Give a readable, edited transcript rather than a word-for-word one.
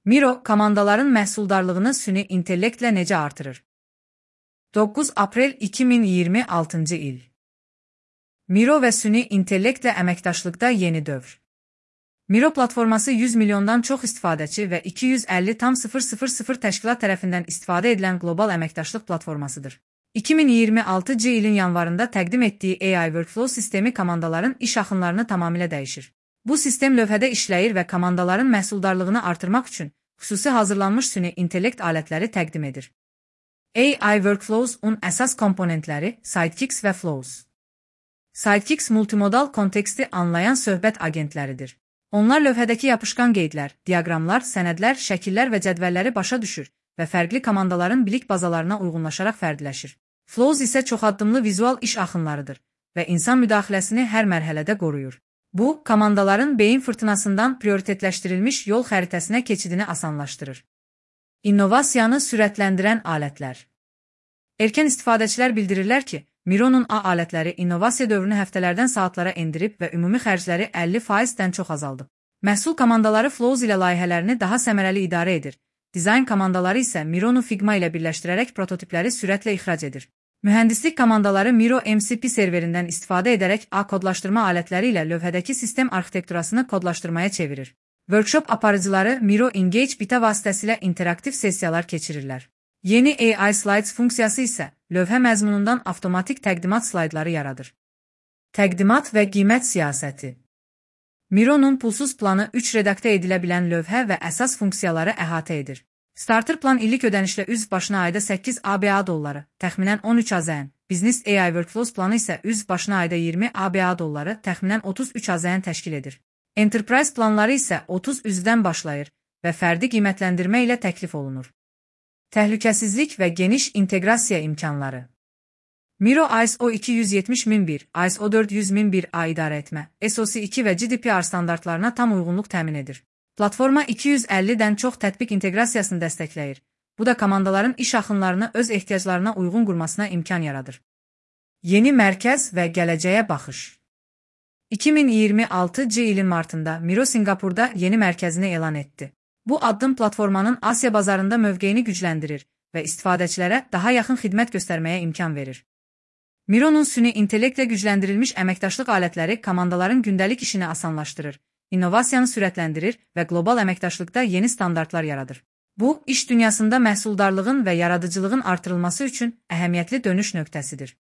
Miro, komandaların məhsuldarlığını süni intellektlə necə artırır? 9 aprel 2026 il. Miro və süni intellektlə əməkdaşlıqda yeni dövr. Miro platforması 100 milyondan çox istifadəçi və 250,000 təşkilat tərəfindən istifadə edilən qlobal əməkdaşlıq platformasıdır. 2026 ilin yanvarında təqdim etdiyi AI Workflow sistemi komandaların iş axınlarını tamamilə dəyişir. Bu sistem lövhədə işləyir və komandaların məhsuldarlığını artırmaq üçün xüsusi hazırlanmış süni intellekt alətləri təqdim edir. AI Workflows-un əsas komponentləri Sidekicks və Flows. Sidekicks multimodal konteksti anlayan söhbət agentləridir. Onlar lövhədəki yapışqan qeydlər, diaqramlar, sənədlər, şəkillər və cədvəlləri başa düşür və fərqli komandaların bilik bazalarına uyğunlaşaraq fərdiləşir. Flows isə çoxaddımlı vizual iş axınlarıdır və insan müdaxiləsini hər mərhələdə qoruyur. Bu, komandaların beyin fırtınasından prioritetləşdirilmiş yol xəritəsinə keçidini asanlaşdırır. İnnovasiyanı sürətləndirən alətlər. Erkən istifadəçilər bildirirlər ki, Miro'nun A alətləri innovasiya dövrünü həftələrdən saatlara endirib və ümumi xərcləri 50%-dən çox azaldıb. Məhsul komandaları Flows ilə layihələrini daha səmərəli idarə edir. Dizayn komandaları isə Miro'nu Figma ilə birləşdirərək prototipləri sürətlə ixrac edir. Mühəndislik komandaları Miro MCP serverindən istifadə edərək A kodlaşdırma alətləri ilə lövhədəki sistem arxitekturasını kodlaşdırmaya çevirir. Workshop aparıcıları Miro Engage beta vasitəsilə interaktiv sessiyalar keçirirlər. Yeni AI Slides funksiyası isə lövhə məzmunundan avtomatik təqdimat slaydları yaradır. Təqdimat və qiymət siyasəti. Miro'nun pulsuz planı 3 redaktə edilə bilən lövhə və əsas funksiyaları əhatə edir. Starter plan illik ödənişlə üzv başına ayda 8 ABA dolları, təxminən 13 AZN. Business AI Workflows planı isə üzv başına ayda 20 ABA dolları, təxminən 33 AZN təşkil edir. Enterprise planları isə 30 üzvdən başlayır və fərdi qiymətləndirmə ilə təklif olunur. Təhlükəsizlik və geniş inteqrasiya imkanları. Miro ISO 270.001, ISO 400.001A idarə etmə, SOC 2 və GDPR standartlarına tam uyğunluq təmin edir. Platforma 250-dən çox tətbiq inteqrasiyasını dəstəkləyir. Bu da komandaların iş axınlarını öz ehtiyaclarına uyğun qurmasına imkan yaradır. Yeni mərkəz və gələcəyə baxış. 2026 ilin martında Miro Singapurda yeni mərkəzini elan etdi. Bu addım platformanın Asiya bazarında mövqeyini gücləndirir və istifadəçilərə daha yaxın xidmət göstərməyə imkan verir. Miro'nun süni intellektlə gücləndirilmiş əməkdaşlıq alətləri komandaların gündəlik işini asanlaşdırır, innovasiyanı sürətləndirir və qlobal əməkdaşlıqda yeni standartlar yaradır. Bu, iş dünyasında məhsuldarlığın və yaradıcılığın artırılması üçün əhəmiyyətli dönüş nöqtəsidir.